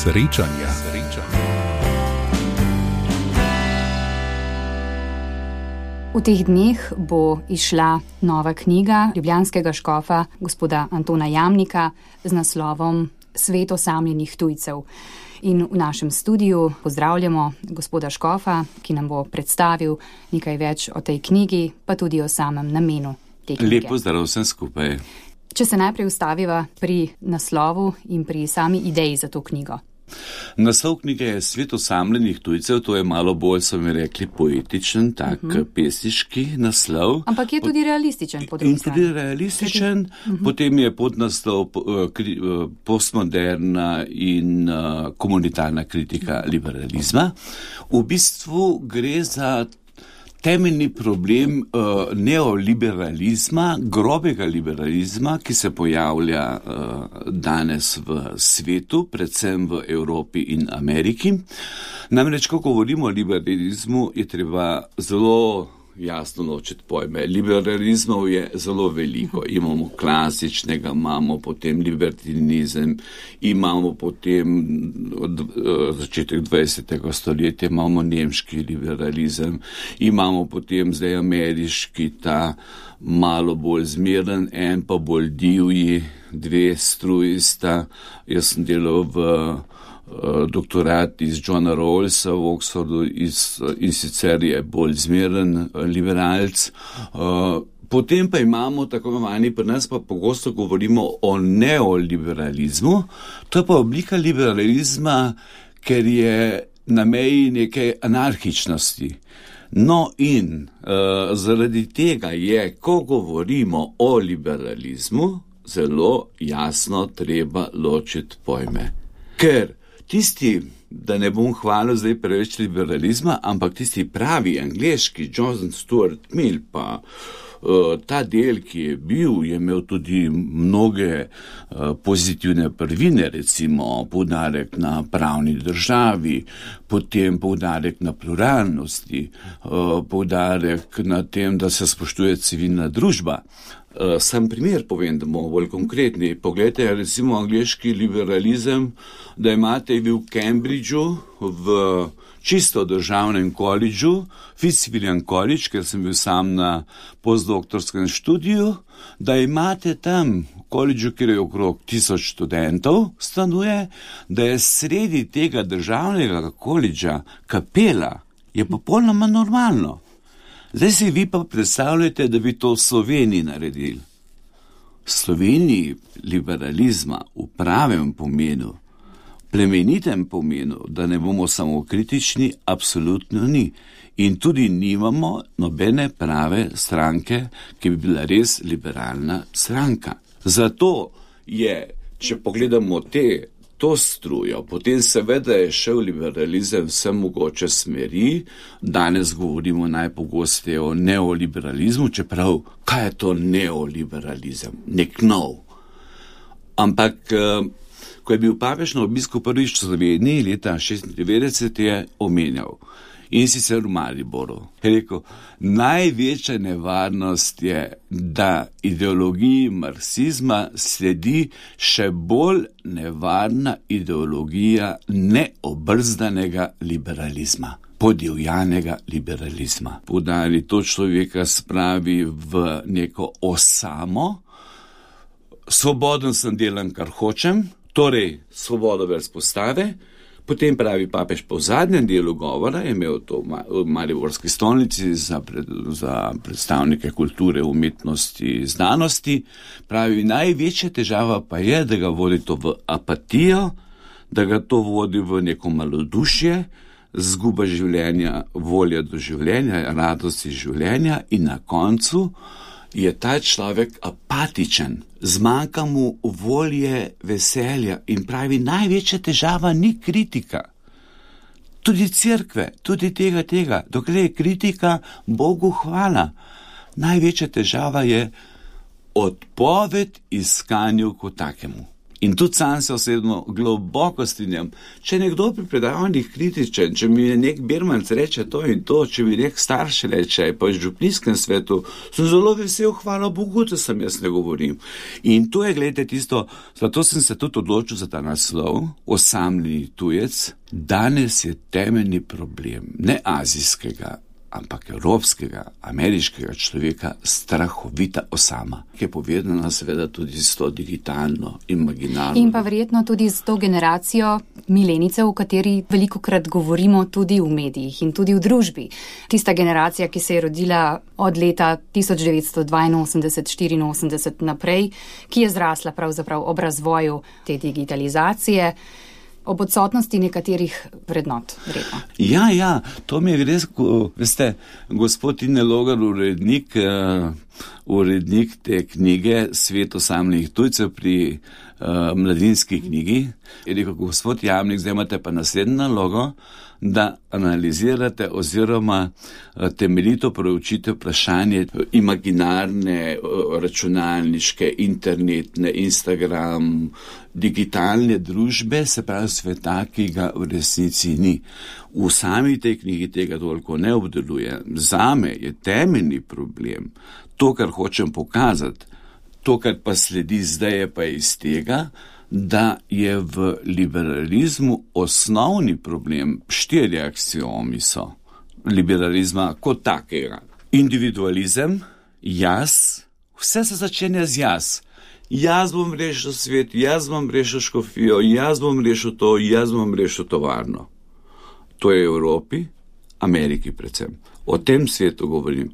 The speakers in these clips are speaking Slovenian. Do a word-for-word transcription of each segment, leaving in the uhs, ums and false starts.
Srečanja. V teh dneh bo izšla nova knjiga ljubljanskega škofa gospoda Antona Jamnika z naslovom Svet osamljenih tujcev. In v našem studiu pozdravljamo gospoda škofa, ki nam bo predstavil nekaj več o tej knjigi, pa tudi o samem namenu te knjige. Lep pozdrav vsem skupaj. Če se najprej ustaviva pri naslovu in pri sami ideji za to knjigo. Naslov knjige je Svet osamljenih tujcev, to je malo bolj, so mi rekli, poetičen, tak uh-huh. pesniški naslov. Ampak je tudi realističen po drugi strani. In tudi realističen, uh-huh. potem je podnaslov postmoderna in uh, komunitarna kritika uh-huh. liberalizma. V bistvu gre za temeljni problem uh, neoliberalizma, grobega liberalizma, ki se pojavlja uh, danes v svetu, predvsem v Evropi in Ameriki. Namreč, ko govorimo o liberalizmu, je treba zelo jasno ločiti pojme. Liberalizmov je zelo veliko. Imamo klasičnega, imamo potem libertinizem, imamo potem od uh, začetek dvajsetega stoletja, imamo nemški liberalizem, imamo potem zdaj ameriški, ta malo bolj zmeren, en pa bolj divji, dve strujista. Jaz sem delal v doktorat iz Johna Rawlsa v Oxfordu iz, in sicer je bolj zmeren liberalc. Potem pa imamo tako imenovani, pri nas pa pogosto govorimo o neoliberalizmu. To je pa oblika liberalizma, ker je na meji neke anarhičnosti. No in uh, zaradi tega je, ko govorimo o liberalizmu, zelo jasno treba ločiti pojme. Ker tisti, da ne bom hvalil zdaj preveč liberalizma, ampak tisti pravi angleški, John Stuart Mill, pa uh, ta del, ki je bil, je imel tudi mnoge uh, pozitivne prvine, recimo poudarek na pravni državi, potem poudarek na pluralnosti, uh, poudarek na tem, da se spoštuje civilna družba. Uh, sam primer povem, da bomo bolj konkretni. Poglejte, recimo angleški liberalizem, da imate vi v Cambridgeu, v čisto državnem koledžu, Fitzwilliam College, ker sem bil sam na postdoktorskem študiju, da imate tam v koledžu, kjer je okrog tisoč študentov stanuje, da je sredi tega državnega koledža kapela, je popolnoma normalno. Zdaj si vi pa predstavljate, da bi to v Sloveniji naredili. V Sloveniji liberalizma v pravem pomenu, plemenitem pomenu, da ne bomo samo kritični, absolutno ni. In tudi nimamo nobene prave stranke, ki bi bila res liberalna stranka. Zato je, če pogledamo te, to strujo, potem seveda je šel liberalizem vse mogoče smeri. Danes govorimo najpogosteje o neoliberalizmu, čeprav kaj je to neoliberalizem? Nek nov. Ampak, ko je bil papež na obisku prvič v Sloveniji leta šestindevetdeset, je omenjal. In sicer v Mariboru. Je rekel, največja nevarnost je, da ideologiji marksizma sledi še bolj nevarna ideologija neobrzdanega liberalizma, podivjanega liberalizma. Poudarili to človeka spravi v neko osamo, svoboden sem, delam, kar hočem, torej svobodo veroizpovedi. Potem pravi papež po zadnjem delu govora, je imel to v Mariborski stolnici za, pred, za predstavnike kulture, umetnosti, znanosti, pravi, največja težava pa je, da ga vodi to v apatijo, da ga to vodi v neko malodušje, zguba življenja, volja do življenja, radosti življenja in na koncu je ta človek apatičen, zmanjka mu volje, veselja in pravi, največja težava ni kritika. Tudi cerkve, tudi tega, tega, dokler je kritika, Bogu hvala. Največja težava je odpoved iskanju kot takemu. In tudi sam se osebno globoko strinjam. Če nekdo pri predavanjih kritičen, če mi nek Birmanc reče to in to, če mi nek starš reče, pa v župnijskem svetu, sem zelo vesel, hvala Bogu, da sem jaz ne govorim. In to je, gledajte, tisto, zato sem se tudi odločil za ta naslov, osamljeni tujec. Danes je temeljni problem, ne azijskega, ampak evropskega, ameriškega človeka strahovita osama, ki je povedana seveda tudi s to digitalno, imaginarno. In pa verjetno tudi s to generacijo milenicev, o kateri velikokrat govorimo tudi v medijih in tudi v družbi. Tista generacija, ki se je rodila od leta tisoč devetsto dvainosemdeset štiriinosemdeset naprej, ki je zrasla pravzaprav ob razvoju te digitalizacije, ob odsotnosti nekaterih vrednot. Vredno. Ja, ja, to mi je res, veste, gospod Tine Logar, urednik, uh, urednik te knjige Svet osamljenih tujcev pri uh, mladinski knjigi, je rekel, gospod Jamnik, zdaj imate pa naslednjo nalogo, da analizirate oziroma temeljito proučite vprašanje imaginarne, računalniške, internetne, Instagram, digitalne družbe, se pravi sveta, ki ga v resnici ni. V sami tej knjigi tega toliko ne obdeluje. Zame je temeljni problem, to, kar hočem pokazati, to, kar pa sledi zdaj, je pa iz tega, da je v liberalizmu osnovni problem, štiri aksiomi so liberalizma kot takega. Individualizem, jaz, vse se začenja z jaz. Jaz bom rešil svet, jaz bom rešil škofijo, jaz bom rešil to, jaz bom rešil tovarno. To je v Evropi, Ameriki predvsem. O tem svetu govorim.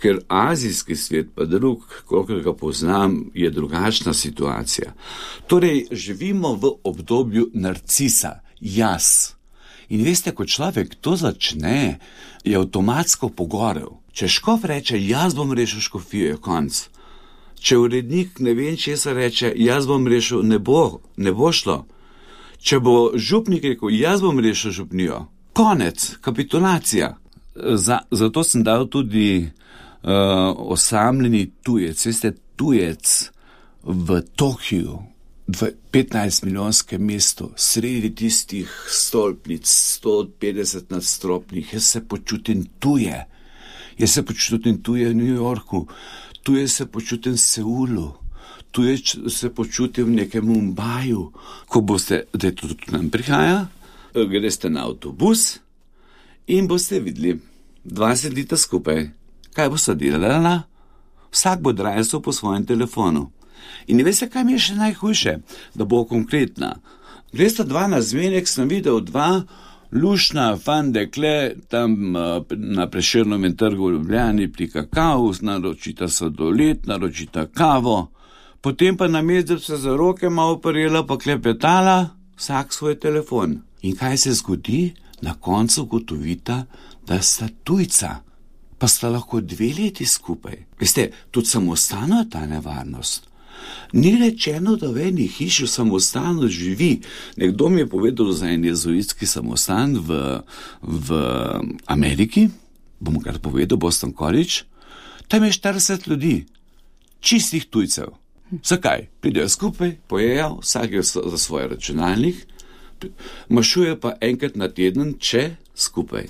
Ker azijski svet, pa drug, kolikor ga poznam, je drugačna situacija. Torej, živimo v obdobju narcisa, jaz. In veste, ko človek to začne, je avtomatsko pogorel. Če škof reče, jaz bom rešil škofijo, je konc. Če urednik ne vem česa reče, jaz bom rešil, ne bo, ne bo šlo. Če bo župnik rekel, jaz bom rešil župnijo, konec, kapitulacija. Za, zato sem dal tudi Uh, osamljeni tujec, veste, tujec v Tokiju, v petnajst milijonskem mestu, sredi tistih stolpnic, sto petdeset nadstropnih, jaz se počutim tuje. Jaz se počutim tuje v New Yorku, tuje se počutim v Seulu, tuje se počutim v nekem Mumbaju. Ko boste, da je to tudi nam prihaja, greste na avtobus in boste videli dva sedita skupaj. Kaj bo se delala? Vsak bo drajsel po svojem telefonu. In veste, kaj mi je še najhujše? Da bo konkretna. Gresta dva na zmenek, sem videl dva lušna fandekle tam na Prešernovem trgu v Ljubljani pri kakao, naročita sladoled, naročita kavo, potem pa namesto se za roke malo oparila pa klepetala, vsak svoj telefon. In kaj se zgodi? Na koncu ugotovita, da sta tujca. Pa sta lahko dve leti skupaj. Veste, tudi samostano je ta nevarnost. Ni rečeno, da v eni hiši v samostanu živi. Nekdo mi je povedal za en jezuitski samostan v, v Ameriki, bom kar povedal, Boston College, tam je štirideset ljudi, čistih tujcev. Zakaj? Pridejo skupaj, pojejo, vsak je za svoj računalnik, mašuje pa enkrat na teden, če skupaj.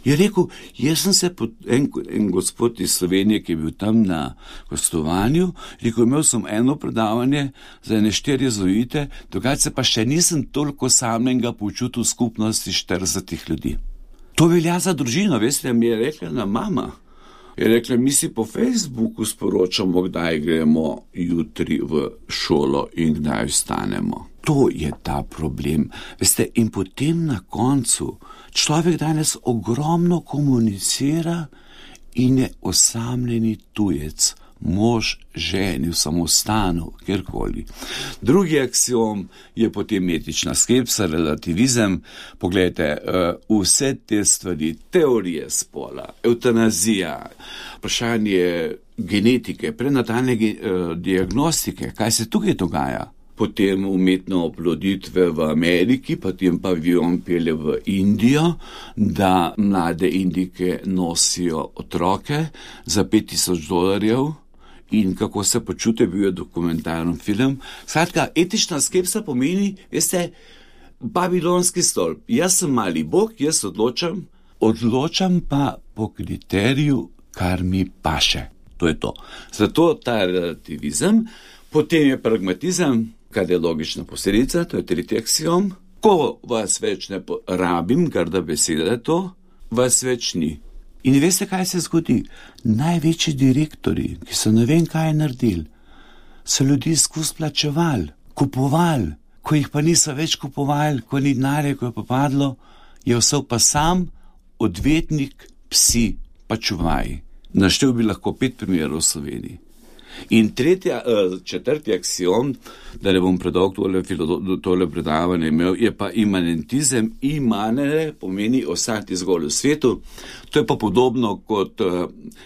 Je rekel, jaz sem se, pod, en, en gospod iz Slovenije, ki je bil tam na gostovanju, rekel, imel sem eno predavanje za ene štiri jezuite, drugače pa še nisem toliko samega počutil skupnosti štiridesetih ljudi. To velja za družino, veste, mi je rekla na mama. Je rekla, mi si po Facebooku sporočamo, kdaj gremo jutri v šolo in kdaj vstanemo. To je ta problem. Veste, in potem na koncu človek danes ogromno komunicira in je osamljeni tujec, mož, ženi v samostanu, kjerkoli. Drugi aksiom je potem etična skepsa, relativizem. Poglejte, vse te stvari, teorije spola, eutanazija, vprašanje genetike, prenatalne diagnostike, kaj se tukaj dogaja? Potem umetno oploditve v Ameriki, potem pa avion pelje v Indijo, da mlade Indike nosijo otroke za pet tisoč dolarjev in kako se počute, bil je dokumentarni film. Skratka, etična skepsa pomeni, veste, babilonski stolp. Jaz sem mali bog, jaz odločam, odločam pa po kriteriju, kar mi paše. To je to. Zato ta relativizem, potem je pragmatizem, kar je logična posledica, to je tretji aksiom. Ko vas več ne rabim, grda beseda je to, vas več ni. In veste, kaj se zgodi? Največji direktori, ki so ne vem kaj naredili, so ljudi skozi plačevali, kupovali, ko jih pa niso več kupovali, ko ni denarja, ko je pa padlo, je vsel pa sam odvetnik, psi, pa čuvaji. Naštel bi lahko pet primerov v Sloveniji. In tretja, četrti aksiom, da ne bom predolg tole, tole predavanje imel, je pa imanentizem. Imanere pomeni ostati zgolj v svetu. To je pa podobno kot,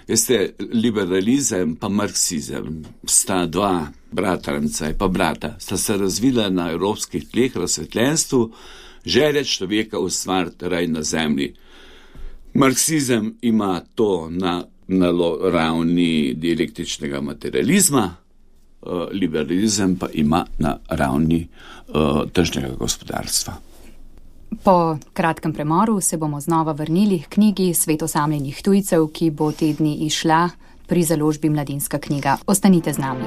veste, liberalizem pa marksizem. Sta dva bratranca, pa brata, sta se razvila na evropskih tleh razsvetljenstvu, želja človeka ustvariti raj na zemlji. Marksizem ima to na na ravni dialektičnega materializma, liberalizem pa ima na ravni uh, tržnega gospodarstva. Po kratkem premoru se bomo znova vrnili k knjigi Svet osamljenih tujcev, ki bo te dni izšla pri založbi Mladinska knjiga. Ostanite z nami.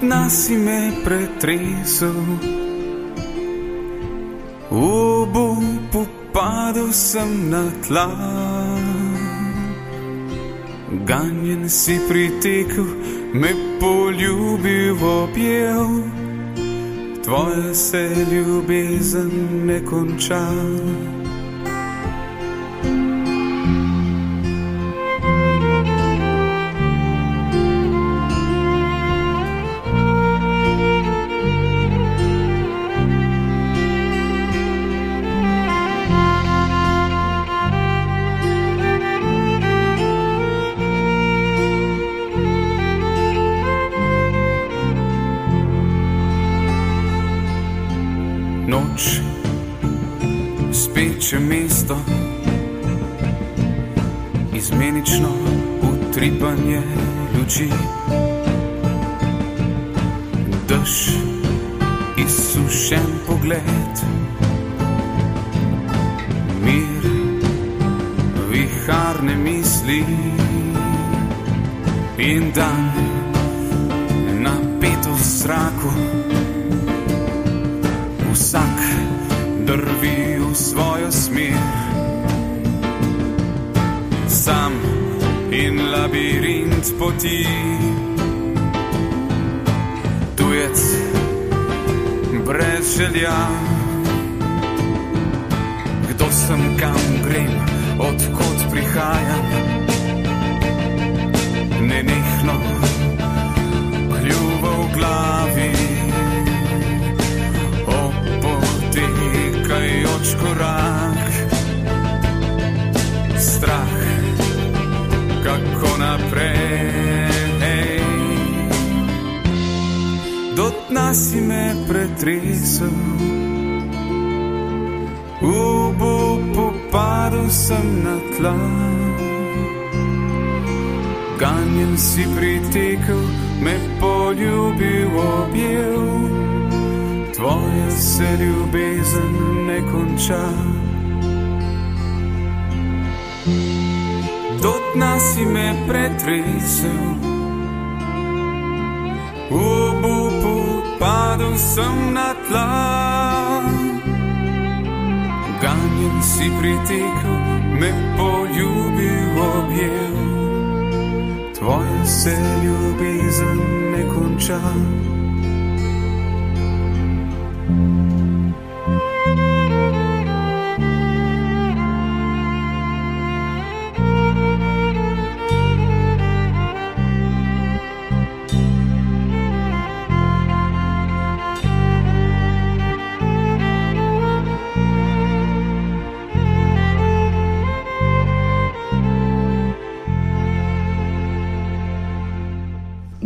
Nas si me pretresel, obupu padel sem na tla, ganjen si pritekel, me poljubil objel, tvoja se ljubezen ne konča. Noč, speče mesto, izmenično utripanje luči, dež, izsušen pogled, mir, viharne misli in dan, napetost v zraku. Vsak drvi v svojo smer, sam in labirint poti, tujec brez želja. Kdo sem, kam grem, odkot prihajam, nenehno kljuva v glavi. Tekajoč korak, strah, kako naprej. Do dna si me pretresel, v obupu padel sem na tla, ganjen si pritekel, me poljubil objel, tvoja se ljubezen ne konča. Do dna si me pretresel, v obupu padel sem na tla, ganjen si pritekel, me poljubil objel, tvoja se ljubezen ne konča.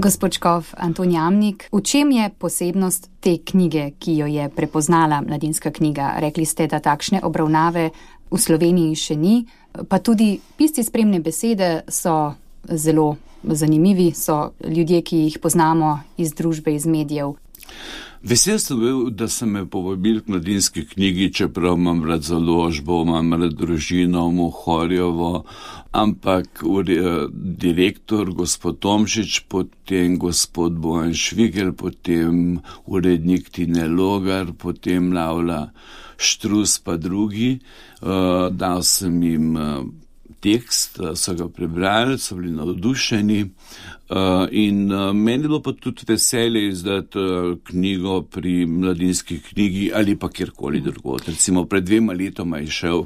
Gospod škof Anton Jamnik, v čem je posebnost te knjige, ki jo je prepoznala Mladinska knjiga? Rekli ste, da takšne obravnave v Sloveniji še ni, pa tudi pisci spremne besede so zelo zanimivi, so ljudje, ki jih poznamo iz družbe, iz medijev. Vesel sem bil, da sem me povabil k Mladinski knjigi, čeprav imam rad založbo, imam rad družino, Mohorjevo, ampak direktor gospod Tomšič, potem gospod Bojan Švigel, potem urednik Tine Logar, potem Lavla Štrus pa drugi, uh, dal sem jim uh, tekst, so ga prebrali, so bili navdušeni uh, in uh, meni je bilo pa tudi veselje izdati uh, knjigo pri Mladinski knjigi ali pa kjerkoli drugod. Recimo pred dvema letoma je šel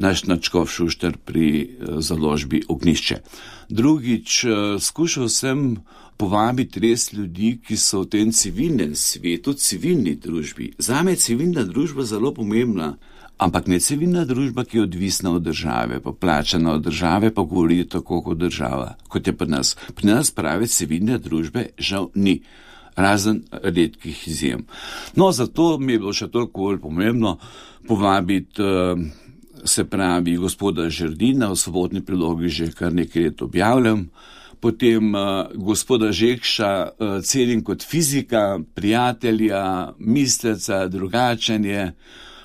naš Načkov Šušter pri uh, založbi Ognjišče. Drugič, uh, skušal sem povabiti res ljudi, ki so v tem civilnem svetu, civilni družbi. Zame je civilna družba zelo pomembna. Ampak ne civilna družba, ki je odvisna od države, pa plačana od države, pa govori tako kot država, kot je pri nas. Pri nas prave civilne družbe žal ni, razen redkih izjem. No, zato mi je bilo še toliko bolj pomembno povabiti, se pravi, gospoda Žerdina, v Svobodni prilogi že kar nekaj let objavljam, potem gospoda Žekša, celim kot fizika, prijatelja, misleca, drugačenje,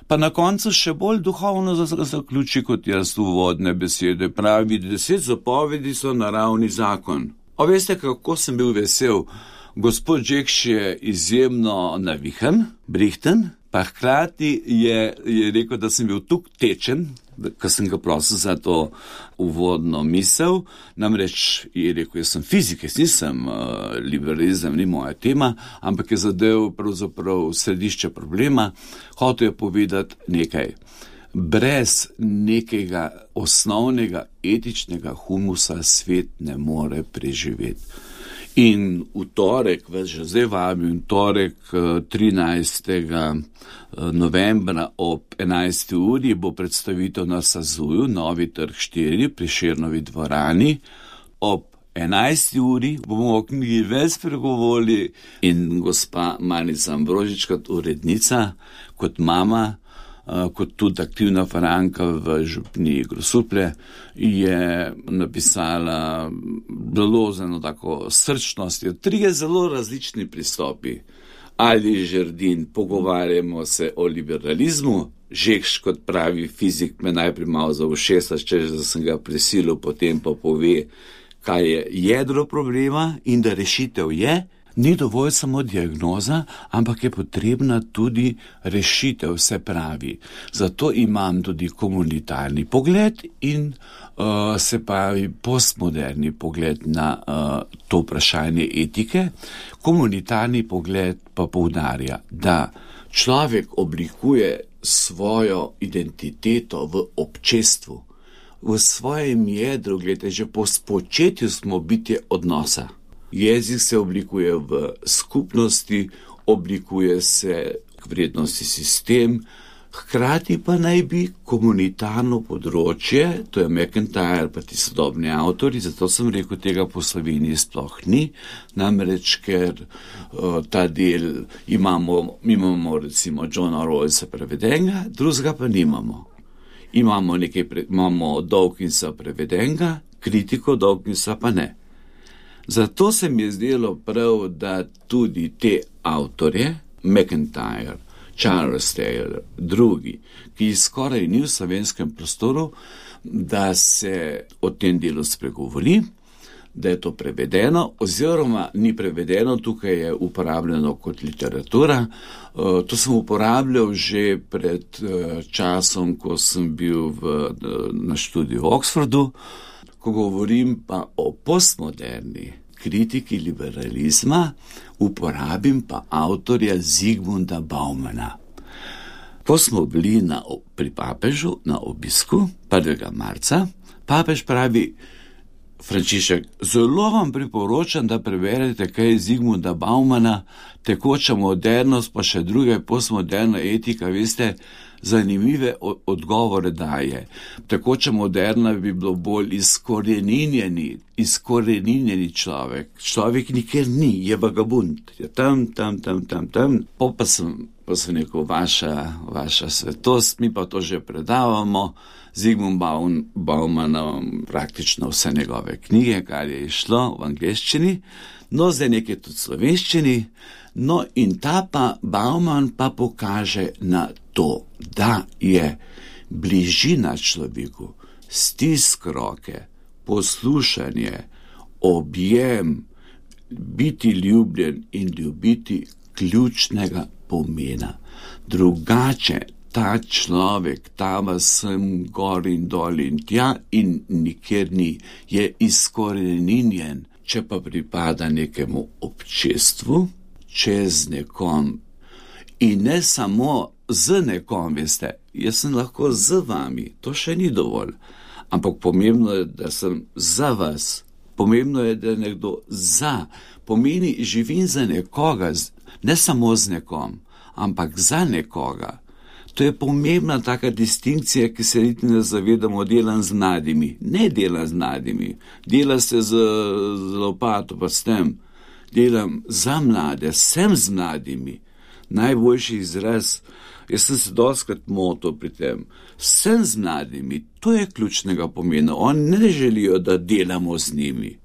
pa na koncu še bolj duhovno zaključi kot jaz uvodne besede. Pravi, deset zapovedi so naravni zakon. A veste, kako sem bil vesel? Gospod Žekš je izjemno navihan, brihten, pa hkrati je, je rekel, da sem bil tuk tečen, ko sem ga prosil za to uvodno misel. Namreč je rekel, jaz sem fizik, jaz nisem uh, liberalizem, ni moja tema, ampak je zadev pravzaprav središče problema. Hotel je povedati nekaj. Brez nekega osnovnega etičnega humusa svet ne more preživeti. In v torek, vas že zdaj vabim, torek trinajstega novembra ob enajsti uri bo predstavitev na Sazuju, Novi trg štiri, Prešernovi dvorani. Ob enajsti uri bomo o knjigi več spregovorili in gospa Manica Ambrožič kot urednica, kot mama, kot tudi aktivna faranka v župniji Grosuplje, je napisala zelo zelo tako srčnost. Trije zelo različni pristopi. Ali Žerdin, pogovarjamo se o liberalizmu, Žekš kot pravi fizik me najprej malo za ušesa, če da sem ga prisilil, potem pa pove, kaj je jedro problema in da rešitev je. Ni dovolj samo diagnoza, ampak je potrebna tudi rešitev, se pravi. Zato imam tudi komunitarni pogled in uh, se pravi postmoderni pogled na uh, to vprašanje etike. Komunitarni pogled pa poudarja, da človek oblikuje svojo identiteto v občestvu, v svojem jedru, gledajte, že po spočetju smo bitje odnosa. Jezik se oblikuje v skupnosti, oblikuje se vrednostni sistem, hkrati pa naj bi komunitarno področje, to je McIntyre pa ti sodobni avtori, zato sem rekel, tega po Sloveniji sploh ni, namreč ker uh, ta del imamo, imamo recimo Johna Rawlsa prevedenega, drugega pa nimamo. Imamo nekaj, pre, imamo Dawkinsa prevedenega, kritiko Dawkinsa pa ne. Zato se mi je zdelo prav, da tudi te avtorje, McIntyre, Charles Taylor, drugi, ki skoraj ni v slovenskem prostoru, da se o tem delu spregovori, da je to prevedeno, oziroma ni prevedeno, tukaj je uporabljeno kot literatura. To sem uporabljal že pred časom, ko sem bil v, na študiju v Oxfordu. Ko govorim pa o postmoderni kritiki liberalizma, uporabim pa avtorja Zygmunta Baumana. Ko smo bili na, pri papežu na obisku prvega marca, papež pravi, Frančišek, zelo vam priporočam, da preberete kaj Zigmunda Baumana, Tekoča modernost, pa še druge, postmoderna etika, veste, zanimive odgovore daje. Tekoča moderna bi bilo bolj izkoreninjeni, izkoreninjeni človek. Človek nikjer ni, je vagabund, je tam, tam, tam, tam, tam. Po pa sem, pa sem rekel, vaša, vaša svetost, mi pa to že predavamo. Zigmund Bauman, praktično vse njegove knjige, kar je išlo v angleščini, no zdaj nekaj tudi slovenščini, no in ta pa Bauman pa pokaže na to, da je bližina človeku, stisk roke, poslušanje, objem, biti ljubljen in ljubiti ključnega pomena. Drugače, ta človek, ta vas sem gor in dol in tja in nikjer ni, je izkoreninjen. Če pa pripada nekemu občestvu, čez nekom in ne samo z nekom, veste, jaz sem lahko z vami, to še ni dovolj, ampak pomembno je, da sem za vas, pomembno je, da je nekdo za, pomeni živim za nekoga, ne samo z nekom, ampak za nekoga. To je pomembna taka distinkcija, ki se niti ne zavedamo, delam z mladimi. Ne delam z mladimi, dela se z, z lopato pa s tem. Delam za mlade, sem z mladimi. Najboljši izraz, jaz sem se dostikrat motil pri tem, sem z mladimi, to je ključnega pomena. Oni ne želijo, da delamo z njimi.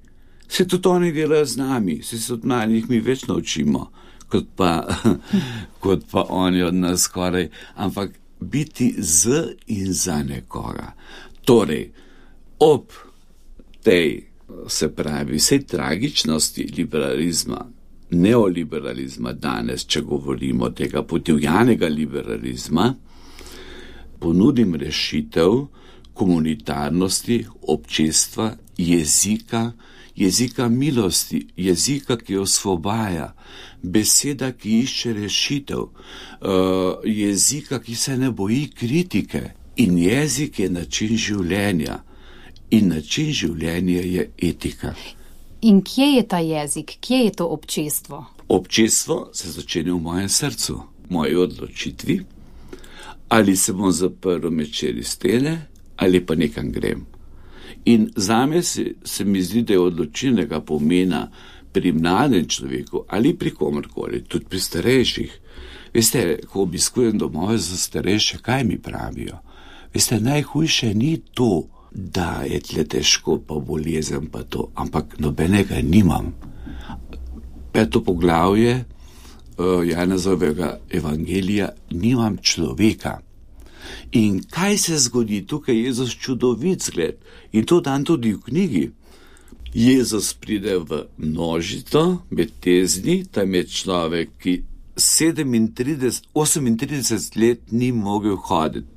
Se tudi oni delajo z nami, se od mladih mi več naučimo. Kot pa, kot pa oni od nas skoraj, ampak biti z in za nekoga. Torej, ob tej, se pravi, vsej tragičnosti liberalizma, neoliberalizma danes, če govorimo tega podivjanega liberalizma, ponudim rešitev komunitarnosti, občestva, jezika, jezika milosti, jezika, ki osvobaja, beseda, ki išče rešitev, uh, jezika, ki se ne boji kritike. In jezik je način življenja. In način življenja je etika. In kje je ta jezik? Kje je to občestvo? Občestvo se začne v mojem srcu, v moji odločitvi, ali se bom zaprl med štiri stene, ali pa nekam grem. In zame se, se mi zdi, da je odločilnega pomena pri mladem človeku ali pri komorkoli, tudi pri starejših. Veste, ko obiskujem domove za starejše, kaj mi pravijo? Veste, najhujše ni to, da je tle težko, pa bolezen pa to, ampak nobenega nimam. Peto poglavje uh, Janezovega evangelija, nimam človeka. In kaj se zgodi tukaj? Jezus čudovit zgled. In to dan tudi v knjigi. Jezus pride v množico med tezni, tam je človek, ki sedemintrideset, osemintrideset let ni mogel hoditi.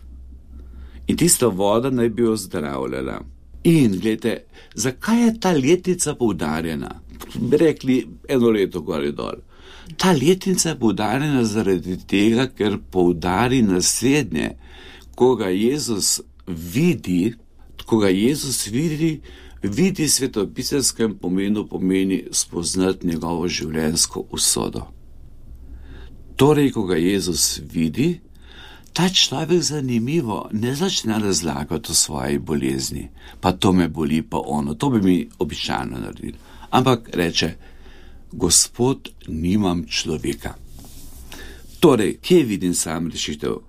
In tista voda naj bi jo zdravljala. In gledajte, zakaj je ta letnica poudarjena? Bi rekli eno leto gor in dol. Ta letnica je poudarjena zaradi tega, ker poudari naslednje. Ko ga Jezus vidi, ko ga Jezus vidi, vidi svetopiselskem pomenu pomeni spoznati njegovo življenjsko usodo. Torej, ko ga Jezus vidi, ta človek zanimivo ne začne razlagati o svoji bolezni, pa to me boli, pa ono, to bi mi običajno naredil. Ampak reče, Gospod, nimam človeka. Torej, kje vidim sam rešitev?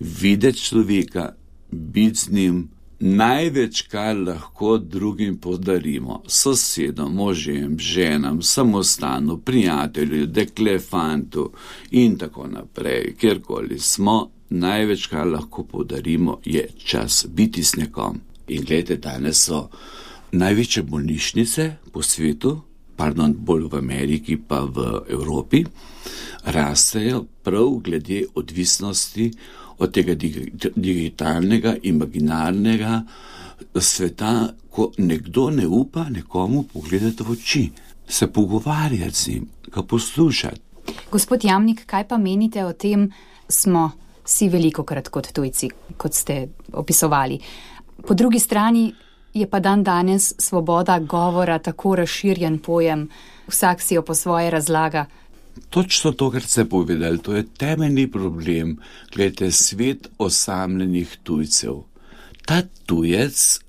Videti človeka, biti z njim, največ, kar lahko drugim podarimo, sosedom, možem, ženam, samostanu, prijatelju, dekle, fantu in tako naprej, kjerkoli smo, največ, kar lahko podarimo, je čas biti s nekom. In gledajte, danes so največje bolnišnice po svetu, pardon, bolj v Ameriki pa v Evropi, rastejo prav glede odvisnosti od tega digitalnega, imaginarnega sveta, ko nekdo ne upa nekomu pogledati v oči, se pogovarjati z njim, ga poslušati. Gospod Jamnik, kaj pa menite o tem, smo si velikokrat kot tujci, kot ste opisovali. Po drugi strani Je pa dan danes svoboda govora tako razširjen pojem, vsak si jo po svoje razlaga. Točno to, kar ste povedali, to je temeljni problem. Glejte, svet osamljenih tujcev. Ta tujec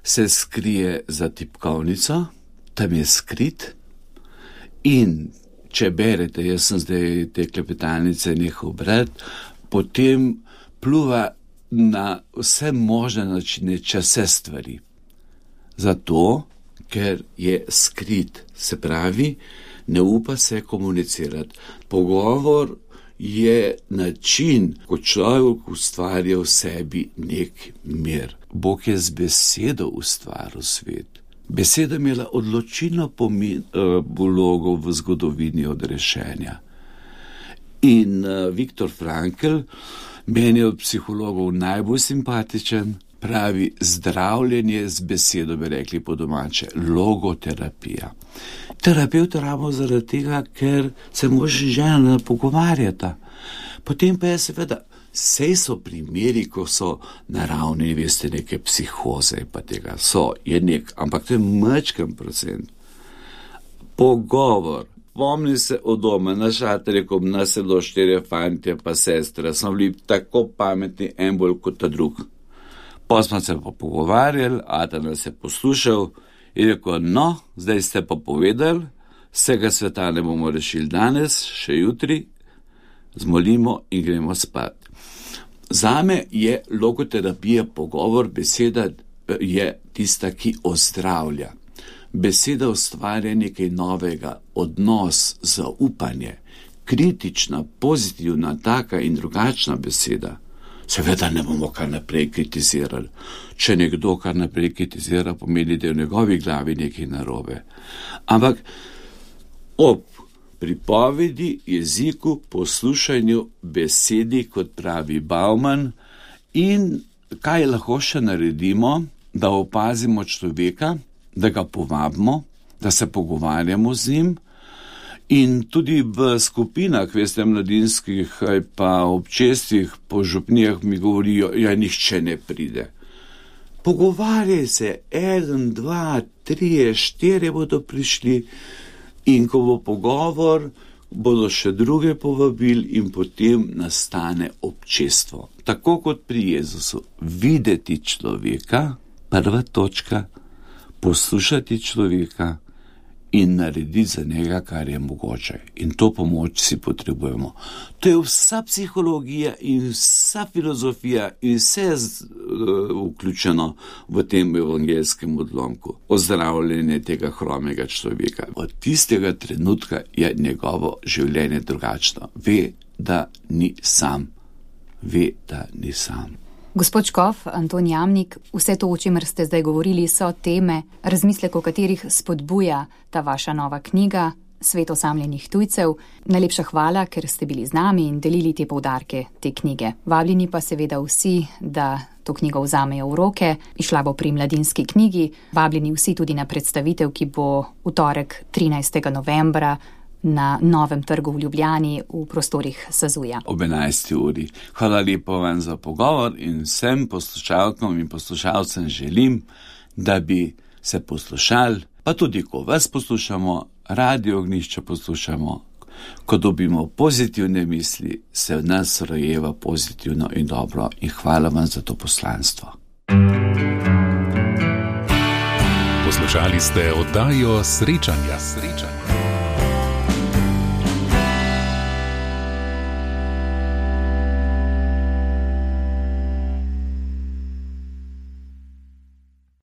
se skrije za tipkovnico, tam je skrit in če berete, jaz sem zdaj te klepetalnice nehal brati, potem pluva na vse možne načine čase stvari. Zato, ker je skrit, se pravi, ne upa se komunicirati. Pogovor je način, ko človek ustvarja v sebi nek mir. Bog je z besedo ustvaril svet. Beseda imela odločilno pomen, uh, vlogo v zgodovini odrešenja. In uh, Viktor Frankl, meni je od psihologov najbolj simpatičen, pravi zdravljenje z besedo, bi rekli po domače, logoterapija. Terapevt rabimo zaradi tega, ker se može žena pogovarjata. Potem pa je seveda, sej so primeri, ko so naravni, veste, neke psihoze, pa tega so, je nek, ampak to je majčken procent. Pogovor. Pomnim se od doma, na šaterju, ko nas je do štirje fantje pa sestre, smo bili tako pametni, en bolj kot ta drug. Pa smo se pa pogovarjali, Ata nas je poslušal in rekel, no, zdaj ste pa povedali, vsega sveta ne bomo rešili danes, še jutri, zmolimo in gremo spat. Zame je logoterapija pogovor, beseda je tista, ki ozdravlja. Beseda ustvarja nekaj novega, odnos, zaupanje, kritična, pozitivna, taka in drugačna beseda. Seveda ne bomo kar naprej kritizirali. Če nekdo kar naprej kritizira, pomeni, da je v njegovi glavi nekaj narobe. Ampak ob pripovedi, jeziku, poslušanju, besedi, kot pravi Bauman, in kaj lahko še naredimo, da opazimo človeka, da ga povabimo, da se pogovarjamo z njim in tudi v skupinah, veste, mladinskih ali pa občestvih po župnijah mi govorijo, ja, nihče ne pride. Pogovarjaj se, eden, dva, trije, štirje bodo prišli in ko bo pogovor, bodo še druge povabili in potem nastane občestvo. Tako kot pri Jezusu, videti človeka, prva točka, poslušati človeka in narediti za njega, kar je mogoče. In to pomoč si potrebujemo. To je vsa psihologija in vsa filozofija in vse z, uh, vključeno v tem evangelskem odlomku. Ozdravljenje tega hromega človeka. Od tistega trenutka je njegovo življenje drugačno. Ve, da ni sam. Ve, da ni sam. Gospod škof Anton Jamnik, vse to, o čemer ste zdaj govorili, so teme, razmislek, o katerih spodbuja ta vaša nova knjiga Svet osamljenih tujcev. Najlepša hvala, ker ste bili z nami in delili te poudarke te knjige. Vabljeni pa seveda vsi, da to knjigo vzamejo v roke. Išla bo pri Mladinski knjigi. Vabljeni vsi tudi na predstavitev, ki bo v torek trinajstega novembra na Novem trgu v Ljubljani v prostorih Sazuja. Ob enajsti uri. Hvala lepo vam za pogovor in vsem poslušalkom in poslušalcem želim, da bi se poslušali, pa tudi ko vas poslušamo, Radio Ognjišče poslušamo, ko dobimo pozitivne misli, se v nas rojeva pozitivno in dobro in hvala vam za to poslanstvo. Poslušali ste oddajo Srečanja. Srečanja.